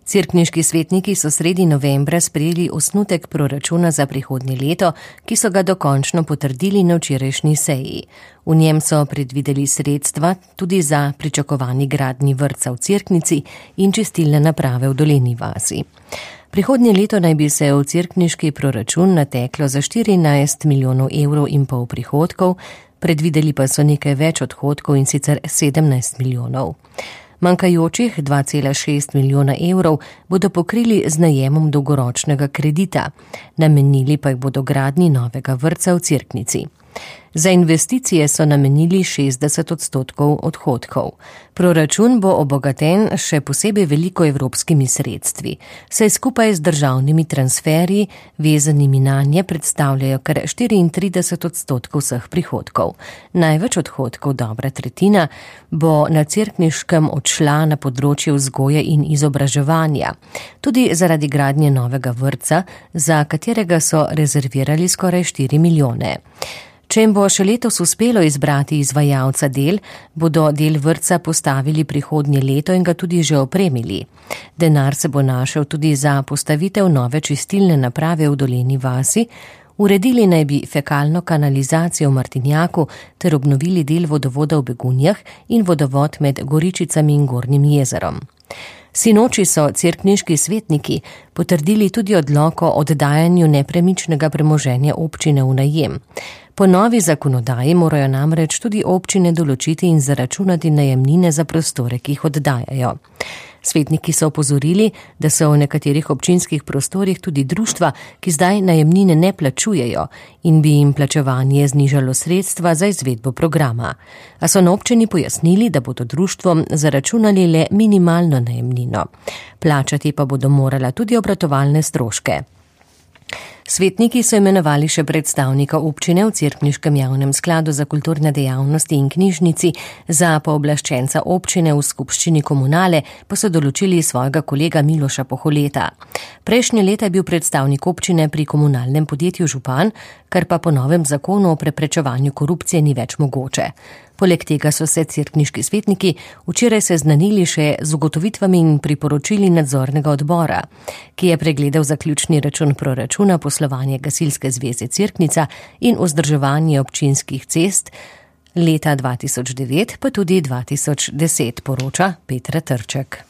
Cerkniški svetniki so sredi novembra sprejeli osnutek proračuna za prihodnje leto, ki so ga dokončno potrdili na včerajšnji seji. V njem so predvideli sredstva tudi za pričakovani gradnji vrtca v Cerknici in čistilne naprave v Dolenji vasi. Prihodnje leto naj bi se v cerkniški proračun nateklo za 14,5 milijonov evrov prihodkov, predvideli pa so nekaj več odhodkov, in sicer 17 milijonov. Manjkajočih 2,6 milijona evrov bodo pokrili z najemom dolgoročnega kredita, namenili pa jih bodo gradnji novega vrtca v Cerknici. Za investicije so namenili 60% odhodkov. Proračun bo obogaten še posebej veliko evropskimi sredstvi, saj skupaj z državnimi transferji, vezanimi nanje, predstavljajo kar 34% vseh prihodkov. Največ odhodkov, dobra tretjina, bo na cerkniškem odšla na področju vzgoje in izobraževanja, tudi zaradi gradnje novega vrtca, za katerega so rezervirali skoraj 4 milijone. Če jim bo še letos uspelo izbrati izvajalca del, bodo del vrtca postavili prihodnje leto in ga tudi že opremili. Denar se bo našel tudi za postavitev nove čistilne naprave v Dolenji vasi, uredili naj bi fekalno kanalizacijo v Martinjaku ter obnovili del vodovoda v Begunjah in vodovod med Goričicami in Gornjim jezerom. Sinoči so cerkniški svetniki potrdili tudi odlok o oddajanju nepremičnega premoženja občine v najem. Po novi zakonodaji morajo namreč tudi občine določiti in zaračunati najemnine za prostore, ki jih oddajajo. Svetniki so opozorili, da so v nekaterih občinskih prostorih tudi društva, ki zdaj najemnine ne plačujejo in bi jim plačevanje znižalo sredstva za izvedbo programa. A so na občini pojasnili, da bodo društvom zaračunali le minimalno najemnino. Plačati pa bodo morala tudi obratovalne stroške. Svetniki so imenovali še predstavnika občine v Cerkniškem javnem skladu za kulturne dejavnosti in knjižnici, za pooblaščenca občine v skupščini komunale pa so določili svojega kolega Miloša Poholeta. Prejšnje leta je bil predstavnik občine pri komunalnem podjetju župan, kar pa po novem zakonu o preprečevanju korupcije ni več mogoče. Poleg tega so se cerkniški svetniki včeraj seznanili še z ugotovitvami in priporočili nadzornega odbora, ki je pregledal zaključni račun proračuna, poslovanje Gasilske zveze Cerknica in vzdrževanje občinskih cest leta 2009 pa tudi 2010, poroča Petra Trček.